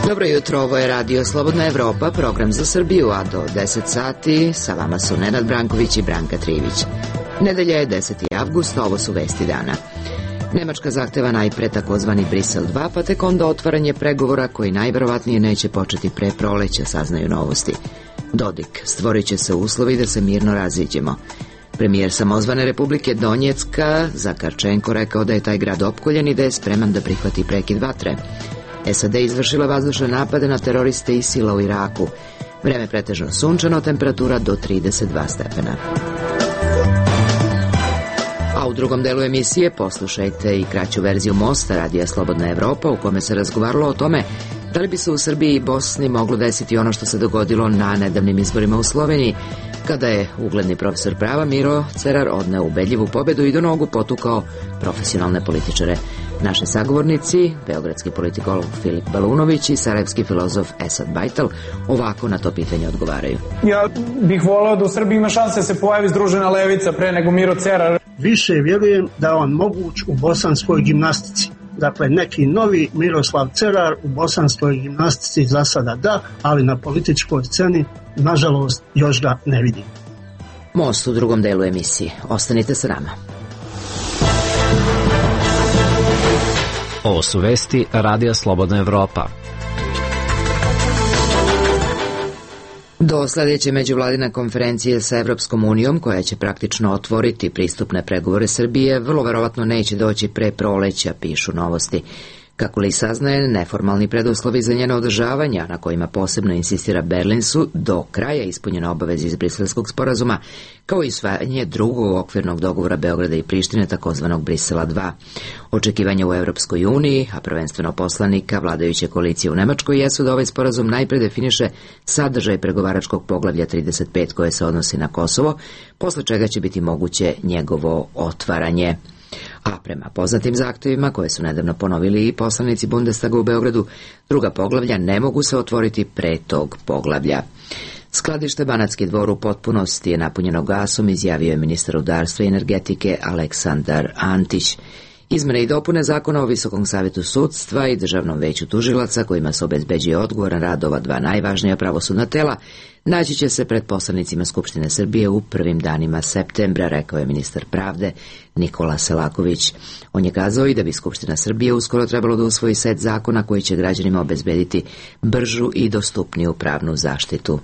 Dobro jutro, ovo je Radio Slobodna Evropa, program za Srbiju, a do 10 sati sa vama su Nenad Branković i Branka Trivić. Nedelja je 10. avgust, ovo su vesti dana. Nemačka zahteva najpre takozvani Brisel 2, pa tek onda otvaranje pregovora koji najverovatnije neće početi pre proleća, saznaju Novosti. Dodik, stvorit će se uslovi da se mirno raziđemo. Premijer samozvane Republike Donjecka Zakarčenko rekao da je taj grad opkoljen i da je spreman da prihvati prekid vatre. SAD izvršila vazdušne napade na teroriste ISIL-a u Iraku. Vreme pretežno sunčano, temperatura do 32 stepena. A u drugom delu emisije poslušajte i kraću verziju mosta Radija Slobodna Evropa, u kome se razgovaralo o tome da li bi se u Srbiji i Bosni moglo desiti ono što se dogodilo na nedavnim izborima u Sloveniji, kada je ugledni profesor prava Miro Cerar odneo ubedljivu pobedu i do nogu potukao profesionalne političare. Naši sagovornici, beogradski politikolog Filip Balunović i sarajevski filozof Esad Bajtal, ovako na to pitanje odgovaraju. Ja bih voleo da u Srbiji ima šanse da se pojavi združena levica pre nego Miro Cerar. Više vjerujem da on moguć u bosanskoj gimnastici. Dakle, neki novi Miroslav Cerar u bosanskoj gimnastici za sada da, ali na političkoj sceni, nažalost, još ga ne vidim. Most u drugom delu emisije. Ostanite sa nama. Ovo su vesti Radija Slobodna Evropa. Do sledeće međuvladine konferencije sa Evropskom unijom, koja će praktično otvoriti pristupne pregovore Srbije, vrlo verovatno neće doći pre proleća, pišu Novosti. Kako li saznaje, neformalni preduslovi za njeno održavanja, na kojima posebno insistira Berlin, su do kraja ispunjene obaveze iz Briselskog sporazuma, kao i usvajanje drugog okvirnog dogovora Beograda i Prištine, takozvanog Brisela 2. Očekivanja u Evropskoj uniji, a prvenstveno poslanika vladajuće koalicije u Nemačkoj, jesu da ovaj sporazum najpre definiše sadržaj pregovaračkog poglavlja 35 koje se odnosi na Kosovo, posle čega će biti moguće njegovo otvaranje. A prema poznatim zahtevima, koje su nedavno ponovili i poslanici Bundestaga u Beogradu, druga poglavlja ne mogu se otvoriti pre tog poglavlja. Skladište Banatski Dvor u potpunosti je napunjeno gasom, izjavio je ministar rudarstva i energetike Aleksandar Antić. Izmene i dopune zakona o Visokom savetu sudstva i Državnom veću tužilaca, kojima se obezbeđuje odgovoran rad ova dva najvažnija pravosudna tela, naći će se pred poslanicima Skupštine Srbije u prvim danima septembra, rekao je ministar pravde Nikola Selaković. On je kazao i da bi Skupština Srbije uskoro trebalo da usvoji set zakona koji će građanima obezbediti bržu i dostupniju pravnu zaštitu.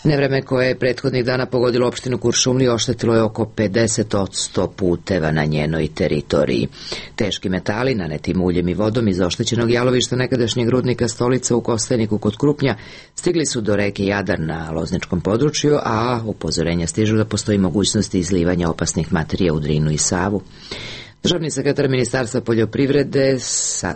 Nevreme koje je prethodnih dana pogodilo opštinu Kuršumliju oštetilo je oko 50% puteva na njenoj teritoriji. Teški metali, naneti muljem i vodom iz oštećenog jalovišta nekadašnjeg rudnika Stolica u Kostajniku kod Krupnja, stigli su do reke Jadar na Lozničkom području, a upozorenja stižu da postoji mogućnost izlivanja opasnih materija u Drinu i Savu. Državni sekretar Ministarstva poljoprivrede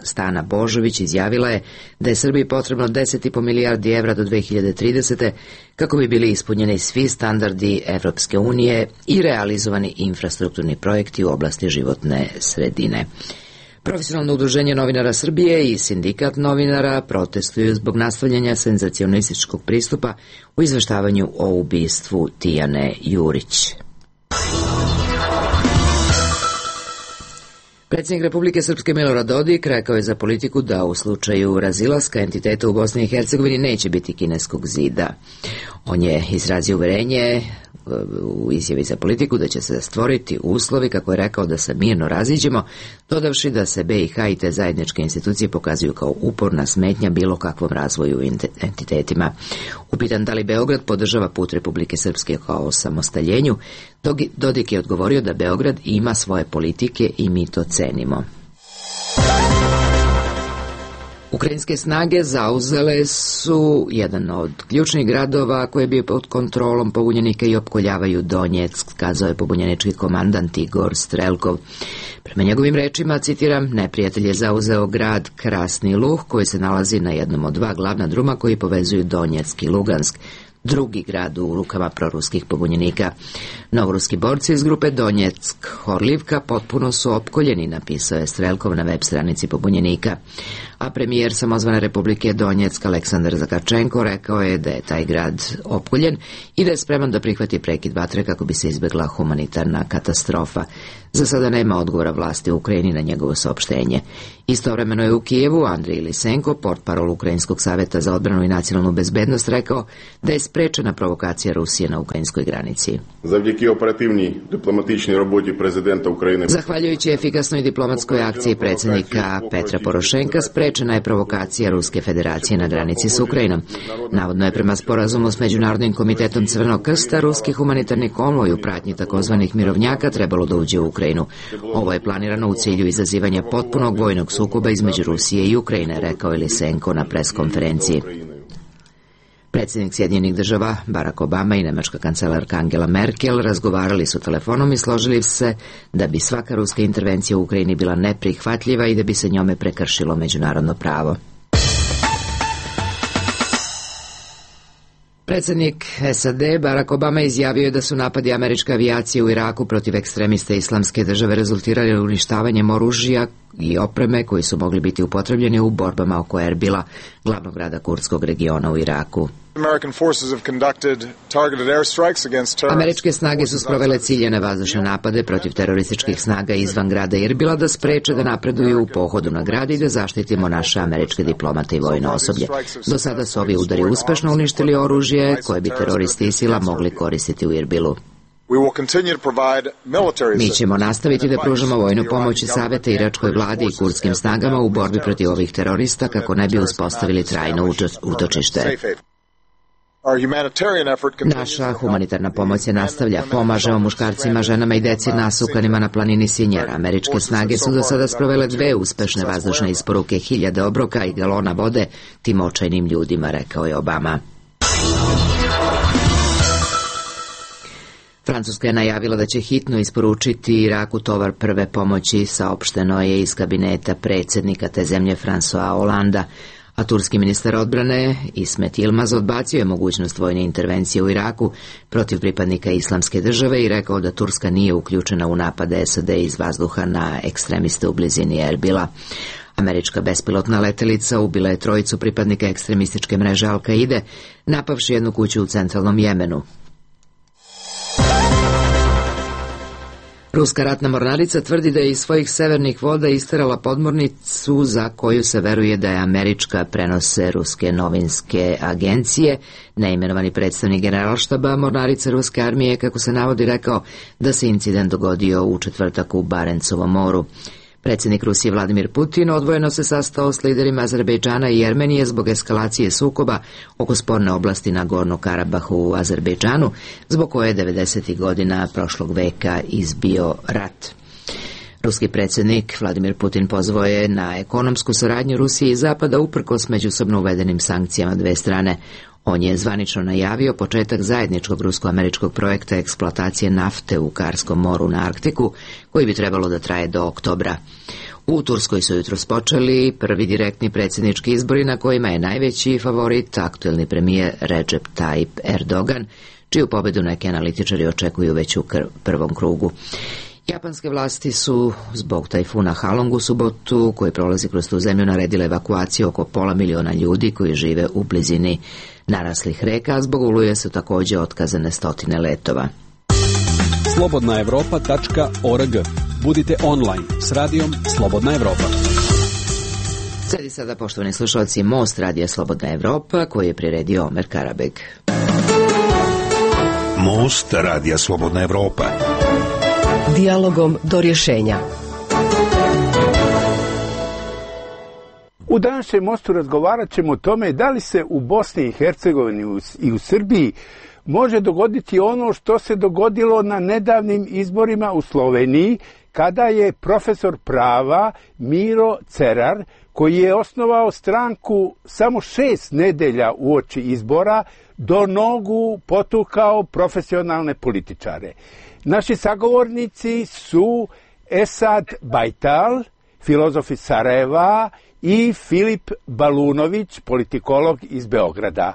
Stana Božović izjavila je da je Srbiji potrebno 10,5 milijardi evra do 2030. kako bi bili ispunjeni svi standardi Evropske unije i realizovani infrastrukturni projekti u oblasti životne sredine. Profesionalno udruženje novinara Srbije i sindikat novinara protestuju zbog nastavljanja senzacionalističkog pristupa u izveštavanju o ubistvu Tijane Jurić. Predsjednik Republike Srpske Milorad Dodik rekao je za Politiku da u slučaju razilaska entiteta u Bosni i Hercegovini neće biti kineskog zida. On je izrazio uverenje u izjavi za Politiku da će se stvoriti uslovi, kako je rekao, da se mirno raziđemo, dodavši da se BiH i te zajedničke institucije pokazuju kao uporna smetnja bilo kakvom razvoju entitetima. Upitan da li Beograd podržava put Republike Srpske kao osamostaljenju, Dodik je odgovorio da Beograd ima svoje politike i mi to cenimo. Ukrajinske snage zauzele su jedan od ključnih gradova koji je bio pod kontrolom pobunjenika i opkoljavaju Donjeck, kazao je pobunjenički komandant Igor Strelkov. Prema njegovim rečima, citiram, neprijatelj je zauzeo grad Krasni Luh koji se nalazi na jednom od dva glavna druma koji povezuju Donjeck i Lugansk, drugi grad u rukama proruskih pobunjenika. Novoruski borci iz grupe Donjeck Horlivka potpuno su opkoljeni, napisao je Strelkov na web stranici pobunjenika. a premijer samozvane Republike Donjeck Aleksandar Zakačenko rekao je da je taj grad opkoljen i da je spreman da prihvati prekid vatre kako bi se izbjegla humanitarna katastrofa. Za sada nema odgovora vlasti u Ukrajini na njegovo saopštenje. Istovremeno je u Kijevu Andrij Lisenko, portparol Ukrajinskog savjeta za odbranu i nacionalnu bezbednost, rekao da je sprečena provokacija Rusije na ukrajinskoj granici. Zahvaljujući efikasnoj diplomatskoj akciji predsjednika Petra Porošenka, sprečena je provokacija Ruske federacije na granici s Ukrajinom. Navodno je prema sporazumu s Međunarodnim komitetom Crvenog krsta ruski humanitarni konvoj u pratnji takozvanih mirovnjaka trebalo da uđe u Ukrajinu. Ovo je planirano u cilju izazivanja potpunog vojnog sukoba između Rusije i Ukrajine, rekao je Lisenko na preskonferenciji. Predsjednik Sjedinjenih država Barack Obama i nemačka kancelarka Angela Merkel razgovarali su telefonom i složili se da bi svaka ruska intervencija u Ukrajini bila neprihvatljiva i da bi se njome prekršilo međunarodno pravo. Predsjednik SAD Barack Obama izjavio je da su napadi američke avijacije u Iraku protiv ekstremista Islamske države rezultirali uništavanjem oružja i opreme koji su mogli biti upotrebljeni u borbama oko Erbila, glavnog grada kurdskog regiona u Iraku. Američke snage su sprovele ciljane vazdušne napade protiv terorističkih snaga izvan grada Erbila da spreče da napreduju u pohodu na grad i da zaštitimo naše američke diplomate i vojno osoblje. Do sada su ovi udari uspešno uništili oružje koje bi teroristi ISIL-a mogli koristiti u Erbilu. Mi ćemo nastaviti da pružamo vojnu pomoć i savete iračkoj vladi i kurdskim snagama u borbi protiv ovih terorista kako ne bi uspostavili trajno utočište. Naša humanitarna pomoć se nastavlja. Pomažemo muškarcima, ženama i deci nasukanima na planini Sinjar. Američke snage su do sada sprovele 2 uspešne vazdušne isporuke, 1000 obroka i galona vode tim očajnim ljudima, rekao je Obama. Francuska je najavila da će hitno isporučiti Iraku tovar prve pomoći, saopšteno je iz kabineta predsjednika te zemlje François Hollanda, a turski ministar odbrane Ismet Yilmaz odbacio je mogućnost vojne intervencije u Iraku protiv pripadnika Islamske države i rekao da Turska nije uključena u napade SAD iz vazduha na ekstremiste u blizini Erbila. Američka bespilotna letelica ubila je 3 pripadnika ekstremističke mreže Al-Kaide, napavši jednu kuću u centralnom Jemenu. Ruska ratna mornarica tvrdi da je iz svojih severnih voda isterala podmornicu za koju se veruje da je američka, prenose ruske novinske agencije. Neimenovani predstavnik generalštaba mornarice ruske armije, kako se navodi, rekao da se incident dogodio u četvrtak u Barencovom moru. Predsjednik Rusije Vladimir Putin odvojeno se sastao s liderima Azerbejdžana i Jermenije zbog eskalacije sukoba oko sporne oblasti na Gornom Karabahu u Azerbejdžanu, zbog koje je 90. godina prošlog veka izbio rat. Ruski predsjednik Vladimir Putin pozvao je na ekonomsku saradnju Rusije i Zapada uprkos međusobno uvedenim sankcijama dve strane. On je zvanično najavio početak zajedničkog rusko-američkog projekta eksploatacije nafte u Karskom moru na Arktiku, koji bi trebalo da traje do oktobra. U Turskoj su jutros počeli prvi direktni predsjednički izbori na kojima je najveći favorit aktuelni premijer Recep Tayyip Erdogan, čiju pobedu neki analitičari očekuju već u prvom krugu. Japanske vlasti su zbog tajfuna Halong u subotu, koji prolazi kroz tu zemlju, naredile evakuaciju oko 500.000 ljudi koji žive u blizini naraslih reka, a zbog oluje su također otkazane 100 letova. slobodnaevropa.org. Budite online s radijom Slobodna Evropa. Slijedi sada, poštovani slušalci, Most radija Slobodna Evropa, koji je priredio Omer Karabeg. Most radija Slobodna Evropa. Dijalogom do rješenja. U današnjem Mostu razgovarat ćemo o tome da li se u Bosni i Hercegovini i u Srbiji može dogoditi ono što se dogodilo na nedavnim izborima u Sloveniji, kada je profesor prava Miro Cerar, koji je osnovao stranku samo 6 nedelja uoči izbora, do nogu potukao profesionalne političare. Naši sagovornici su Esad Bajtal, filozof iz Sarajeva, i Filip Balunović, politikolog iz Beograda.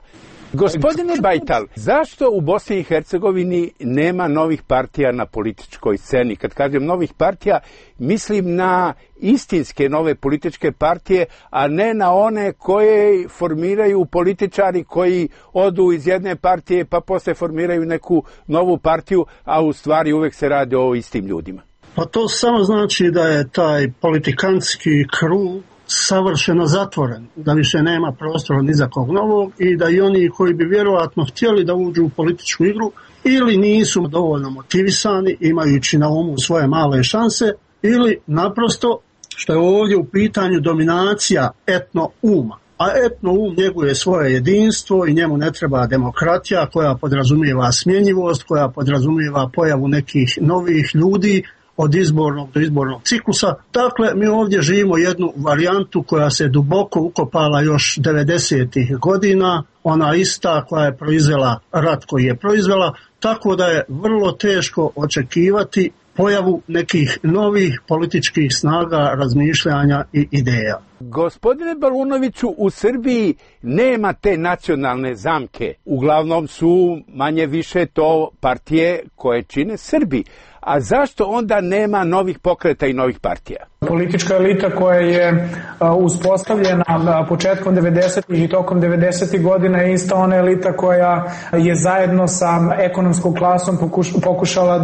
Gospodine Bajtal, zašto u Bosni i Hercegovini nema novih partija na političkoj sceni? Kad kažem novih partija, mislim na istinske nove političke partije, a ne na one koje formiraju političari koji odu iz jedne partije pa posle formiraju neku novu partiju, a u stvari uvek se radi o istim ljudima. Pa to samo znači da je taj politikantski krug savršeno zatvoren, da više nema prostora ni za kog novog i da i oni koji bi vjerojatno htjeli da uđu u političku igru ili nisu dovoljno motivisani, imajući na umu svoje male šanse, ili naprosto, što je ovdje u pitanju, dominacija etno-uma. A etno-um njeguje svoje jedinstvo i njemu ne treba demokratija koja podrazumijeva smjenjivost, koja podrazumijeva pojavu nekih novih ljudi od izbornog do izbornog ciklusa. Dakle, mi ovdje živimo jednu varijantu koja se duboko ukopala još 90-ih godina, ona ista koja je proizvela rat koji je proizvela, tako da je vrlo teško očekivati pojavu nekih novih političkih snaga, razmišljanja i ideja. Gospodine Balunoviću, u Srbiji nema te nacionalne zamke. Uglavnom su manje više to partije koje čine Srbi. A zašto onda nema novih pokreta i novih partija? Politička elita koja je uspostavljena početkom 90-ih i tokom 90-ih godina je ista ona elita koja je zajedno sa ekonomskom klasom pokušala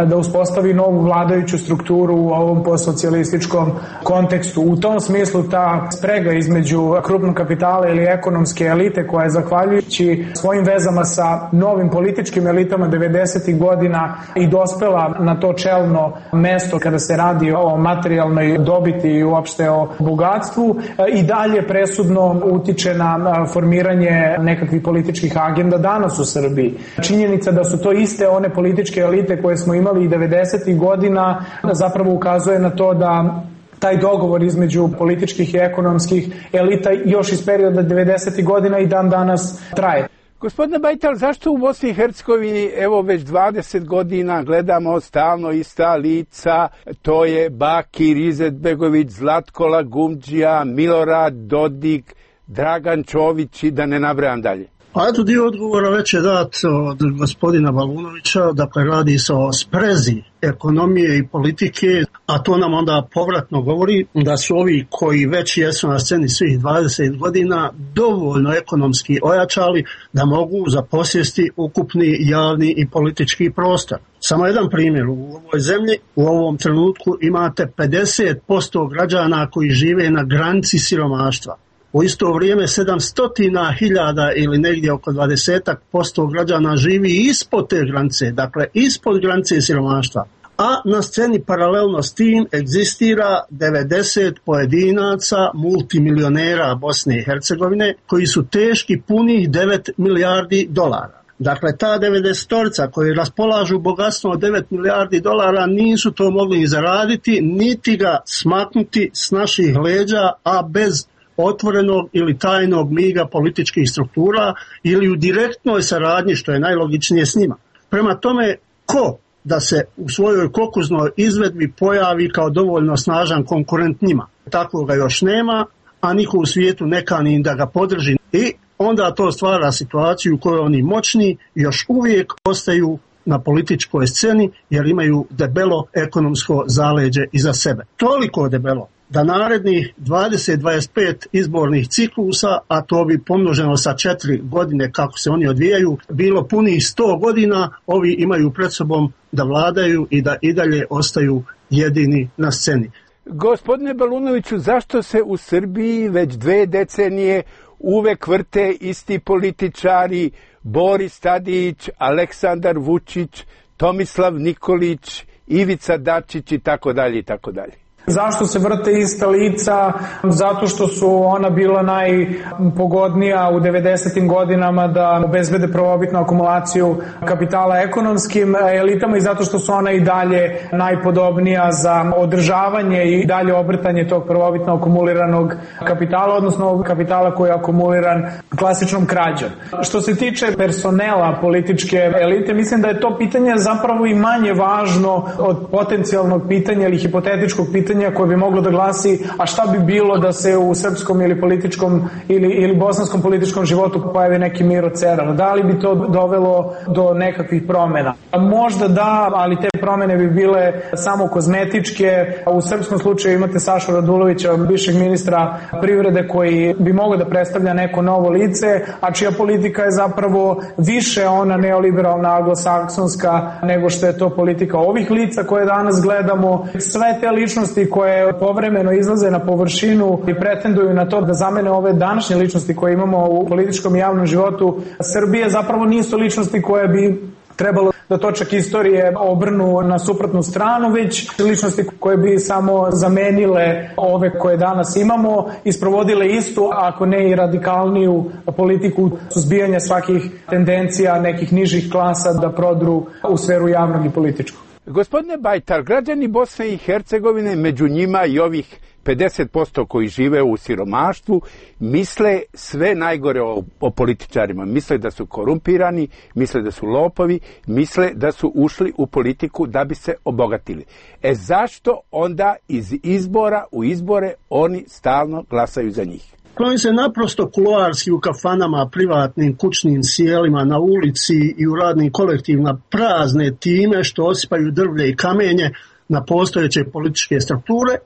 da uspostavi novu vladajuću strukturu u ovom postsocijalističkom kontekstu. U tom smislu ta sprega između krupnog kapitala ili ekonomske elite koja je zahvaljujući svojim vezama sa novim političkim elitama 90-ih godina i dospela na to čelno mesto kada se radi o materijalnoj dobiti i uopšte o bogatstvu, i dalje presudno utiče na formiranje nekakvih političkih agenda danas u Srbiji. Činjenica da su to iste one političke elite koje smo imali i 90-ih godina zapravo ukazuje na to da taj dogovor između političkih i ekonomskih elita još iz perioda 90-ih godina i dan danas traje. Gospodine Bajtal, zašto u Bosni i Hercegovini evo već 20 godina gledamo stalno ista lica, to je Bakir Izetbegović, Zlatko Lagumdžija, Milorad Dodik, Dragan Čović i da ne nabrajam dalje? A eto, dio odgovora već je dat od gospodina Balunovića, dakle radi se o sprezi ekonomije i politike, a to nam onda povratno govori da su ovi koji već jesu na sceni svih 20 godina dovoljno ekonomski ojačali da mogu zaposjesti ukupni javni i politički prostor. Samo jedan primjer, u ovoj zemlji u ovom trenutku imate 50% građana koji žive na granici siromaštva. U isto vrijeme 700.000 ili negdje oko 20% građana živi ispod te granice, dakle ispod granice siromaštva. A na sceni paralelno s tim egzistira 90 pojedinaca multimilionera Bosne i Hercegovine koji su teški punih 9 milijardi dolara. Dakle, ta 90-torica koji raspolažu bogatstvom od 9 milijardi dolara nisu to mogli ni zaraditi, niti ga smaknuti s naših leđa, a bez otvorenog ili tajnog miga političkih struktura ili u direktnoj saradnji, što je najlogičnije s njima. Prema tome, ko da se u svojoj kokuznoj izvedbi pojavi kao dovoljno snažan konkurent njima? Takvoga još nema, a niko u svijetu ne kani da ga podrži. I onda to stvara situaciju u kojoj oni moćni još uvijek ostaju na političkoj sceni jer imaju debelo ekonomsko zaleđe iza sebe. Toliko debelo da narednih 20-25 izbornih ciklusa, a to bi pomnoženo sa 4 godine kako se oni odvijaju, bilo punih 100 godina, ovi imaju pred sobom da vladaju i da i dalje ostaju jedini na sceni. Gospodine Balunoviću, zašto se u Srbiji već 2 decenije uvek vrte isti političari, Boris Tadić, Aleksandar Vučić, Tomislav Nikolić, Ivica Dačić i tako dalje i tako dalje? Zašto se vrte ista lica? Zato što su ona bila najpogodnija u 90. godinama da obezbede prvobitnu akumulaciju kapitala ekonomskim elitama i zato što su ona i dalje najpodobnija za održavanje i dalje obrtanje tog prvobitno akumuliranog kapitala, odnosno kapitala koji je akumuliran klasičnom krađom. Što se tiče personela političke elite, mislim da je to pitanje zapravo i manje važno od potencijalnog pitanja ili hipotetičkog pitanja pitanja koje bi moglo da glasi a šta bi bilo da se u srpskom ili političkom ili bosanskom političkom životu pojavi neki Miro Cerar. Da li bi to dovelo do nekakvih promena? Možda da, ali te promene bi bile samo kozmetičke. U srpskom slučaju imate Sašu Radulovića, bivšeg ministra privrede, koji bi mogao da predstavlja neko novo lice, a čija politika je zapravo više ona neoliberalna, anglosaksonska, nego što je to politika ovih lica koje danas gledamo. Sve te ličnosti koje povremeno izlaze na površinu i pretenduju na to da zamene ove današnje ličnosti koje imamo u političkom i javnom životu Srbije, zapravo nisu ličnosti koje bi trebalo da točak istorije obrnu na suprotnu stranu, već ličnosti koje bi samo zamenile ove koje danas imamo i sprovodile istu, ako ne i radikalniju politiku suzbijanja svakih tendencija nekih nižih klasa da prodru u sferu javnog i političkog. Gospodine Bajtar, građani Bosne i Hercegovine, među njima i ovih 50% koji žive u siromaštvu, misle sve najgore o političarima. Misle da su korumpirani, misle da su lopovi, misle da su ušli u politiku da bi se obogatili. Zašto onda iz izbora u izbore oni stalno glasaju za njih? Oni se naprosto kuloarski u kafanama, privatnim, kućnim sjelima, na ulici i u radnim kolektivima prazne time što osipaju drvlje i kamenje na postojeće političke strukture,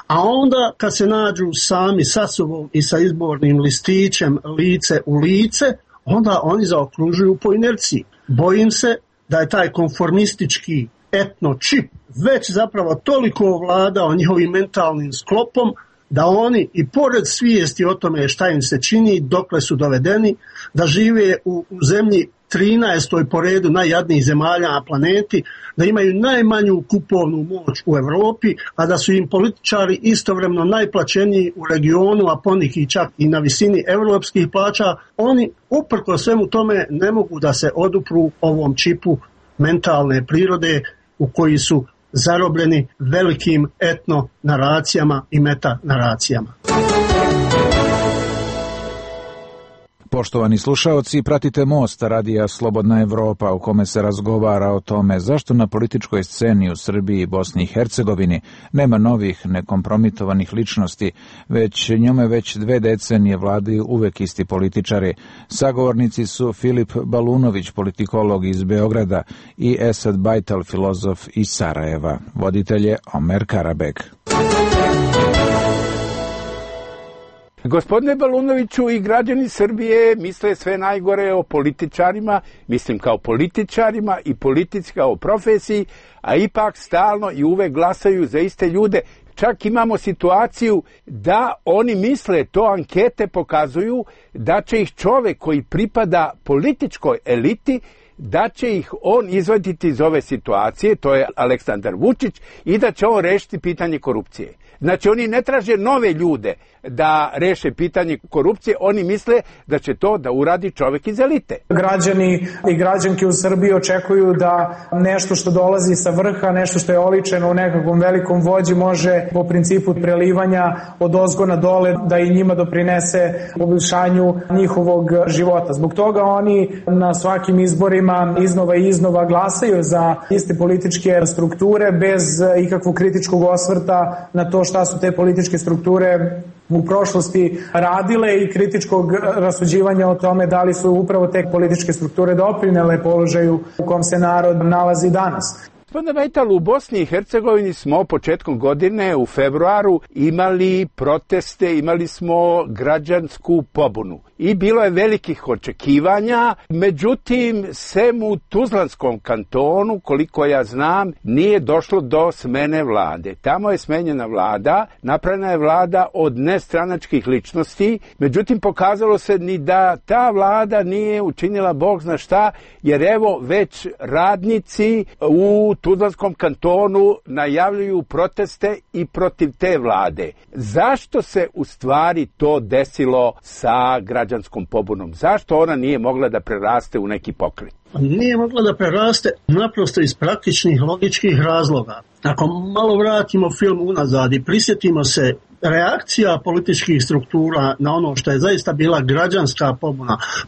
a onda kad se nađu sami sa sobom i sa izbornim listićem lice u lice, onda oni zaokružuju po inerciji. Bojim se da je taj konformistički etno čip već zapravo toliko ovladao njihovim mentalnim sklopom da oni i pored svijesti o tome šta im se čini, dokle su dovedeni, da žive u zemlji 13. po redu najjadnijih zemalja na planeti, da imaju najmanju kupovnu moć u Europi, a da su im političari istovremeno najplaćeniji u regionu, a poneki čak i na visini europskih plaća, oni uprko svemu tome ne mogu da se odupru ovom čipu mentalne prirode u koji su zarobljeni velikim etno naracijama i meta naracijama. Poštovani slušaoci, pratite Most, radija Slobodna Evropa, u kome se razgovara o tome zašto na političkoj sceni u Srbiji i Bosni i Hercegovini nema novih nekompromitovanih ličnosti, već njome već 2 decenije vladaju uvek isti političari. Sagovornici su Filip Balunović, politikolog iz Beograda, i Esad Bajtal, filozof iz Sarajeva. Voditelj je Omer Karabek. Gospodine Balunoviću, i građani Srbije misle sve najgore o političarima, mislim kao političarima i politici kao profesiji, a ipak stalno i uvek glasaju za iste ljude. Čak imamo situaciju da oni misle, to ankete pokazuju, da će ih čovek koji pripada političkoj eliti, da će ih on izvaditi iz ove situacije, to je Aleksandar Vučić, i da će on rešiti pitanje korupcije. Znači, oni ne traže nove ljude da reše pitanje korupcije, oni misle da će to da uradi čovek iz elite. Građani i građanke u Srbiji očekuju da nešto što dolazi sa vrha, nešto što je oličeno u nekakvom velikom vođi, može po principu prelivanja od ozgo na dole da i njima doprinese poboljšanju njihovog života. Zbog toga oni na svakim izborima iznova i iznova glasaju za iste političke strukture bez ikakvog kritičkog osvrta na to šta su te političke strukture u prošlosti radile i kritičkog rasuđivanja o tome da li su upravo te političke strukture doprinele položaju u kom se narod nalazi danas. Gospodine Bajtal, u Bosni i Hercegovini smo početkom godine u februaru imali proteste, imali smo građansku pobunu i bilo je velikih očekivanja, međutim, sem u Tuzlanskom kantonu, koliko ja znam, nije došlo do smene vlade. Tamo je smenjena vlada, napravljena je vlada od nestranačkih ličnosti, međutim, pokazalo se ni da ta vlada nije učinila Bog zna šta, jer evo već radnici u Tuzlanskom kantonu najavljuju proteste i protiv te vlade. Zašto se u stvari to desilo sa građanskom pobunom? Zašto ona nije mogla da preraste u neki pokret? Nije mogla da preraste naprosto iz praktičnih logičkih razloga. Ako malo vratimo film unazad i prisjetimo se reakcija političkih struktura na ono što je zaista bila građanska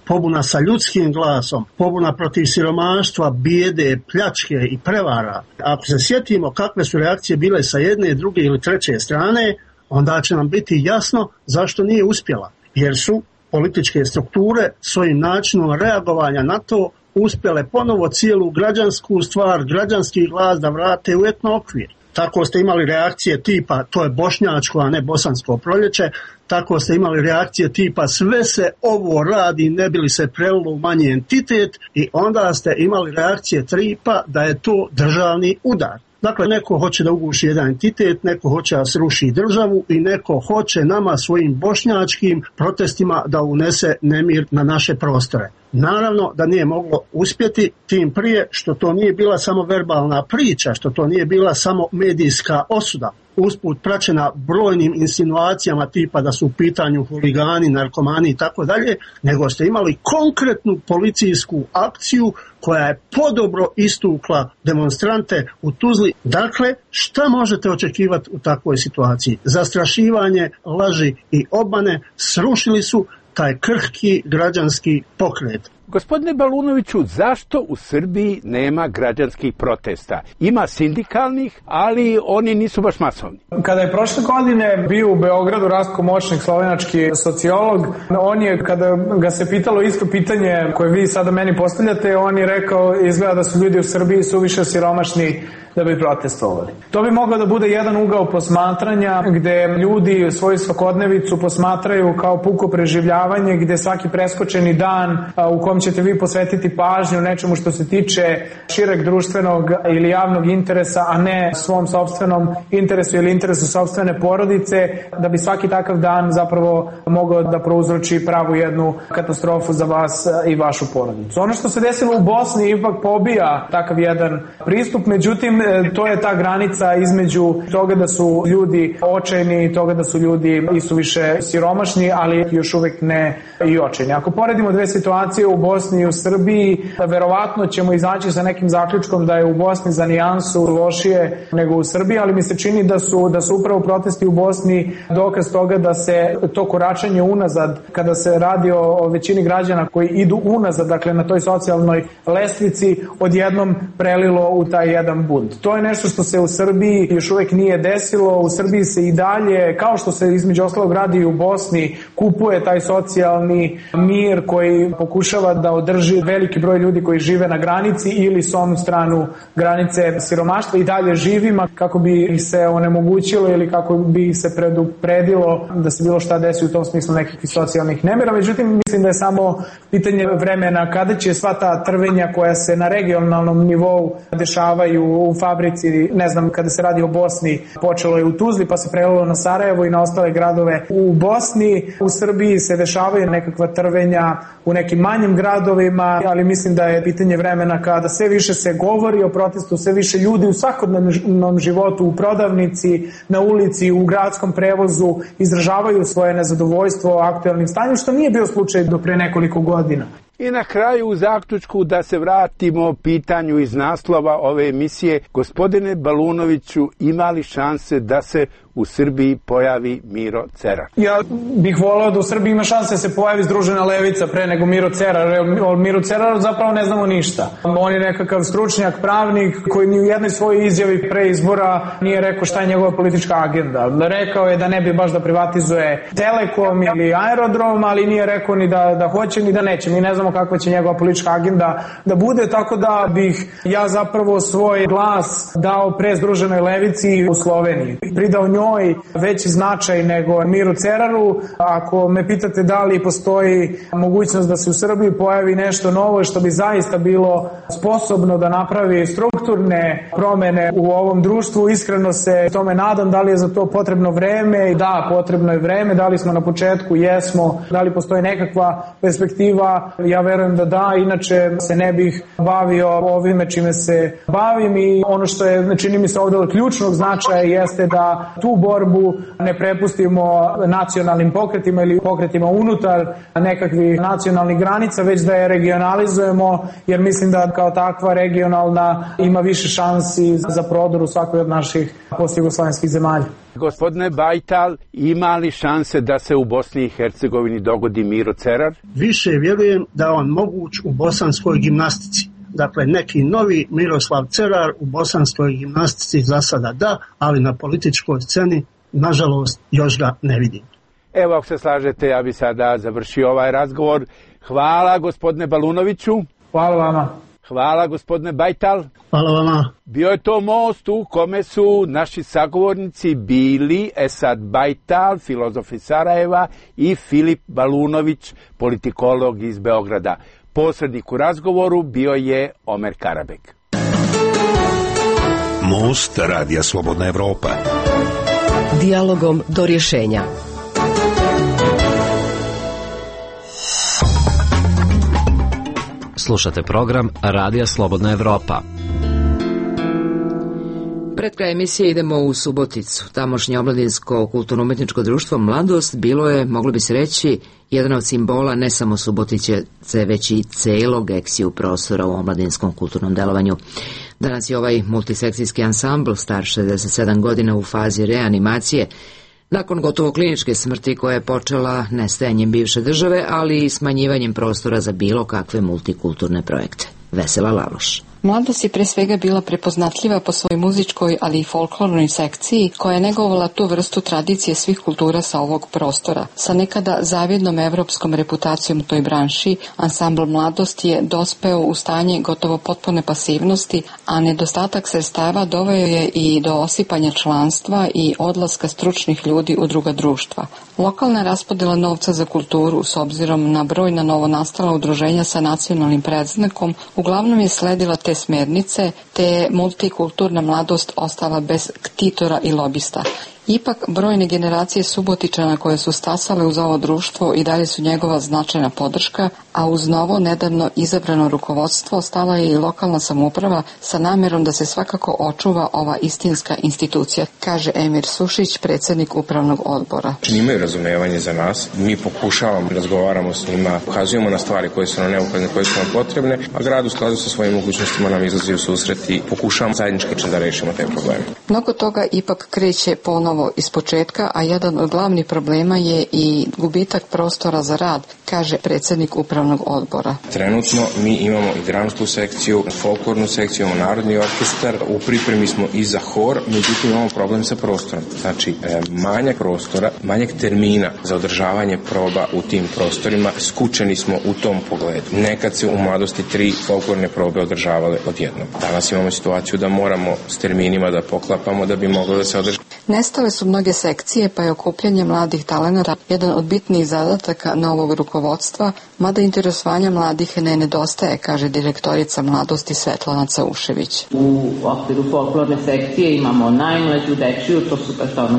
pobuna sa ljudskim glasom, pobuna protiv siromaštva, bijede, pljačke i prevara. Ako se sjetimo kakve su reakcije bile sa jedne, druge ili treće strane, onda će nam biti jasno zašto nije uspjela. Jer su političke strukture svojim načinom reagovanja na to uspjele ponovo cijelu građansku stvar, građanski glas da vrate u etno okvir. Tako ste imali reakcije tipa to je bošnjačko, a ne bosansko proljeće, tako ste imali reakcije tipa sve se ovo radi ne bi li se prelilo u manji entitet i onda ste imali reakcije tipa da je to državni udar. Dakle, neko hoće da uguši jedan entitet, neko hoće da sruši državu i neko hoće nama svojim bošnjačkim protestima da unese nemir na naše prostore. Naravno da nije moglo uspjeti, tim prije što to nije bila samo verbalna priča, što to nije bila samo medijska osuda, usput praćena brojnim insinuacijama tipa da su u pitanju huligani, narkomani i tako dalje, nego ste imali konkretnu policijsku akciju koja je podobro istukla demonstrante u Tuzli. Dakle, šta možete očekivati u takvoj situaciji? Zastrašivanje, laži i obmane srušili su taj krhki građanski pokret. Gospodine Balunoviću, zašto u Srbiji nema građanskih protesta? Ima sindikalnih, ali oni nisu baš masovni. Kada je prošle godine bio u Beogradu Rastko Moćnik, slovenački sociolog, on je, kada ga se pitalo isto pitanje koje vi sada meni postavljate, on je rekao, izgleda da su ljudi u Srbiji suviše siromašni da bi protestovali. To bi mogao da bude jedan ugao posmatranja gde ljudi svoju svakodnevicu posmatraju kao puko preživljavanje, gde svaki preskočeni dan u kom ćete vi posvetiti pažnju nečemu što se tiče šireg društvenog ili javnog interesa, a ne svom sopstvenom interesu ili interesu sopstvene porodice, da bi svaki takav dan zapravo mogao da prouzroči pravu jednu katastrofu za vas i vašu porodicu. Ono što se desilo u Bosni ipak pobija takav jedan pristup, međutim to je ta granica između toga da su ljudi očajni i toga da su ljudi i su više siromašni, ali još uvek ne i očajni. Ako poredimo dve situacije u Bosni i u Srbiji, verovatno ćemo izaći sa nekim zaključkom da je u Bosni za nijansu lošije nego u Srbiji, ali mi se čini da su upravo protesti u Bosni dokaz toga da se to koračanje unazad, kada se radi o većini građana koji idu unazad, dakle na toj socijalnoj lestvici, odjednom prelilo u taj jedan bunt. To je nešto što se u Srbiji još uvek nije desilo. U Srbiji se i dalje, kao što se između ostalog radi i u Bosni, kupuje taj socijalni mir koji pokušava da održi veliki broj ljudi koji žive na granici ili s onu stranu granice siromaštva i dalje živima, kako bi ih se onemogućilo ili kako bi ih se predupredilo da se bilo šta desi u tom smislu nekakvih socijalnih nemira. Međutim, mislim da je samo pitanje vremena kada će sva ta trvenja koja se na regionalnom nivou dešavaju u fabrici, ne znam, kada se radi o Bosni, počelo je u Tuzli pa se prelilo na Sarajevo i na ostale gradove u Bosni. U Srbiji se dešavaju nekakva trvenja u nekim manjim gradovima, ali mislim da je pitanje vremena kada sve više se govori o protestu, sve više ljudi u svakodnevnom životu, u prodavnici, na ulici, u gradskom prevozu izražavaju svoje nezadovoljstvo aktuelnim stanjem, što nije bio slučaj do pre nekoliko godina. I na kraju u zaključku da se vratimo pitanju iz naslova ove emisije. Gospodine Balunoviću, ima li šanse da se u Srbiji pojavi Miro Cerar? Ja bih voleo da u Srbiji ima šanse da se pojavi Združena levica pre nego Miro Cerar. O Miru Ceraru zapravo ne znamo ništa. On je nekakav stručnjak, pravnik koji ni u jednoj svojoj izjavi pre izbora nije rekao šta je njegova politička agenda. Rekao je da ne bi baš da privatizuje Telekom ili aerodrom, ali nije rekao ni da hoće ni da neće. Mi ne znamo kakva će njegova politička agenda da bude, tako da bih ja zapravo svoj glas dao pre Združenoj levici u Sloveniji. Pridao njoj veći značaj nego Miru Ceraru. Ako me pitate da li postoji mogućnost da se u Srbiji pojavi nešto novo što bi zaista bilo sposobno da napravi strukturne promene u ovom društvu, iskreno se tome nadam. Da li je za to potrebno vreme? Da, potrebno je vreme. Da li smo na početku? Jesmo. Da li postoji nekakva perspektiva? Ja verujem da da, inače se ne bih bavio ovime čime se bavim i ono što je, čini mi se ovdje od ključnog značaja jeste da tu tu borbu ne prepustimo nacionalnim pokretima ili pokretima unutar nekakvih nacionalnih granica, već da je regionalizujemo, jer mislim da kao takva regionalna ima više šansi za prodor u svakoj od naših postjugoslavenskih zemalja. Gospodine Bajtal, ima li šanse da se u Bosni i Hercegovini dogodi Miro Cerar? Više vjerujem da je on moguć u bosanskoj gimnastici. Dakle, neki novi Miroslav Cerar u bosanskoj gimnastici za sada da, ali na političkoj sceni, nažalost, još ga ne vidim. Evo, ako se slažete, ja bi sada završio ovaj razgovor. Hvala, gospodine Balunoviću. Hvala vama. Hvala, gospodine Bajtal. Hvala vama. Bio je to most u kome su naši sagovornici bili Esad Bajtal, filozof iz Sarajeva, i Filip Balunović, politikolog iz Beograda. Posrednik u razgovoru bio je Omer Karabek. Most Radija Slobodna Evropa. Dijalogom do rješenja. Slušate program Radija Slobodna Evropa. Pred kraj emisije idemo u Suboticu. Tamošnje omladinsko kulturno-umetničko društvo Mladost bilo je, moglo bi se reći, jedan od simbola ne samo Subotice, već i celog eksiju prostora u omladinskom kulturnom delovanju. Danas je ovaj multisekcijski ansambl star 67 godina u fazi reanimacije, nakon gotovo kliničke smrti koja je počela nestajanjem bivše države, ali i smanjivanjem prostora za bilo kakve multikulturne projekte. Vesela Laloš. Mladost je pre svega bila prepoznatljiva po svojoj muzičkoj, ali i folklornoj sekciji, koja je negovala tu vrstu tradicije svih kultura sa ovog prostora. Sa nekada zavidnom evropskom reputacijom u toj branši, ansambl Mladost je dospeo u stanje gotovo potpune pasivnosti, a nedostatak sredstava doveo je i do osipanja članstva i odlaska stručnih ljudi u druga društva. Lokalna raspodela novca za kulturu, s obzirom na brojna novonastala udruženja sa nacionalnim predznakom, uglavnom je sledila te smernice, te je multikulturna Mladost ostala bez ktitora i lobista. Ipak, brojne generacije Subotičana koje su stasale uz ovo društvo i dalje su njegova značajna podrška, a uz novo nedavno izabrano rukovodstvo stala je i lokalna samouprava sa namerom da se svakako očuva ova istinska institucija, kaže Emir Sušić, predsjednik upravnog odbora. Imaju razumevanje za nas, mi pokušavamo, razgovaramo s njima, ukazujemo na stvari koje su nam neophodne, koje su nam potrebne, a grad u skladu sa svojim mogućnostima nam izlazi u susret i pokušavamo zajednički da rešimo te probleme. Mnogo toga ipak kreće ponovo iz početka, a jedan od glavnih problema je i gubitak prostora za rad, kaže predsjednik upravnog odbora. Trenutno mi imamo i dramsku sekciju, folklornu sekciju, imamo narodni orkestar, u pripremi smo i za hor, međutim imamo problem sa prostorom. Znači, manjak prostora, manjak termina za održavanje proba u tim prostorima, skučeni smo u tom pogledu. Nekad se u Mladosti 3 folklorne probe održavale odjednom. Danas imamo situaciju da moramo s terminima da poklapamo da bi moglo da se održi. Nestale su mnoge sekcije, pa je okupljanje mladih talenata jedan od bitnijih zadataka novog rukovodstva, mada interesovanja mladih ne nedostaje, kaže direktorica Mladosti Svetlana Caušević. U okviru folklorne sekcije imamo najmlađu dečiju, to su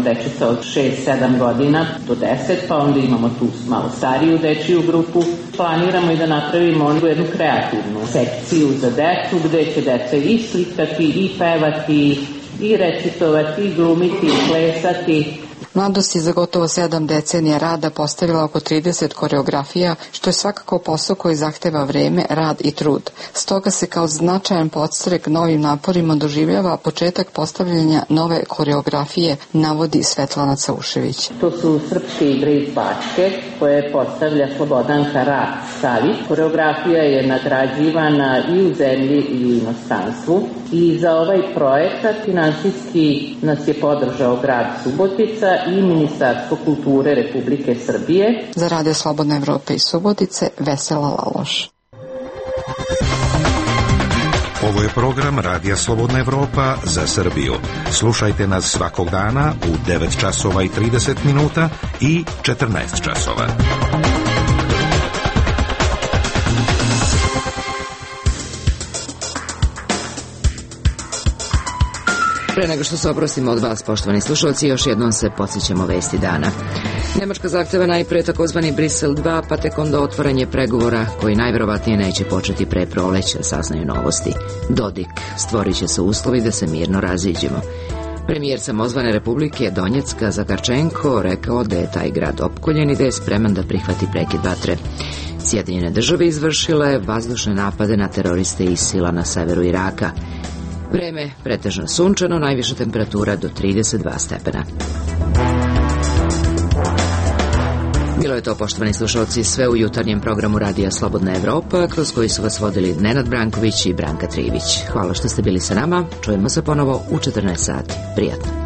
dečica od 6-7 godina do 10, pa onda imamo tu malo stariju dečiju grupu. Planiramo i da napravimo jednu kreativnu sekciju za decu, gde će deca i slikati, i pevati, i recitovati, i glumiti, i plesati. Mladost je za gotovo 7 decenija rada postavila oko 30 koreografija, što je svakako posao koji zahteva vreme, rad i trud. Stoga se kao značajan podstrek novim naporima doživljava početak postavljanja nove koreografije, navodi Svetlana Caušević. To su srpske igre iz Bačke, koje postavlja Slobodanka Savić. Koreografija je nagrađivana i u zemlji i u inostranstvu. I za ovaj projekat finansijski nas je podržao grad Subotica i Ministarstvo kulture Republike Srbije. Za Radio Slobodne Evrope iz Subotice, Vesela Laloš. Ovo je program Radija Slobodna Evropa za Srbiju. Slušajte nas svakog dana u 9 časova i 30 minuta i 14 časova. Pre nego što se oprostimo od vas, poštovani slušalci, još jednom se podsjećamo vesti dana. Nemačka zahteva najpre takozvani Brisel 2, pa tek onda otvaranje pregovora koji najverovatnije neće početi pre proleća, saznaju Novosti. Dodik, stvorit će se uslovi da se mirno raziđemo. Premijer samozvane Republike Donjecka Zakarčenko rekao da je taj grad opkoljen i da je spreman da prihvati prekid vatre. Sjedinjene države izvršile vazdušne napade na teroriste ISIL-a na severu Iraka. Vreme pretežno sunčano, najviša temperatura do 32 stepena. Bilo je to, poštovani slušalci, sve u jutarnjem programu Radija Slobodna Evropa, kroz koji su vas vodili Nenad Branković i Branka Trivić. Hvala što ste bili sa nama, čujemo se ponovo u 14 sati. Prijatno.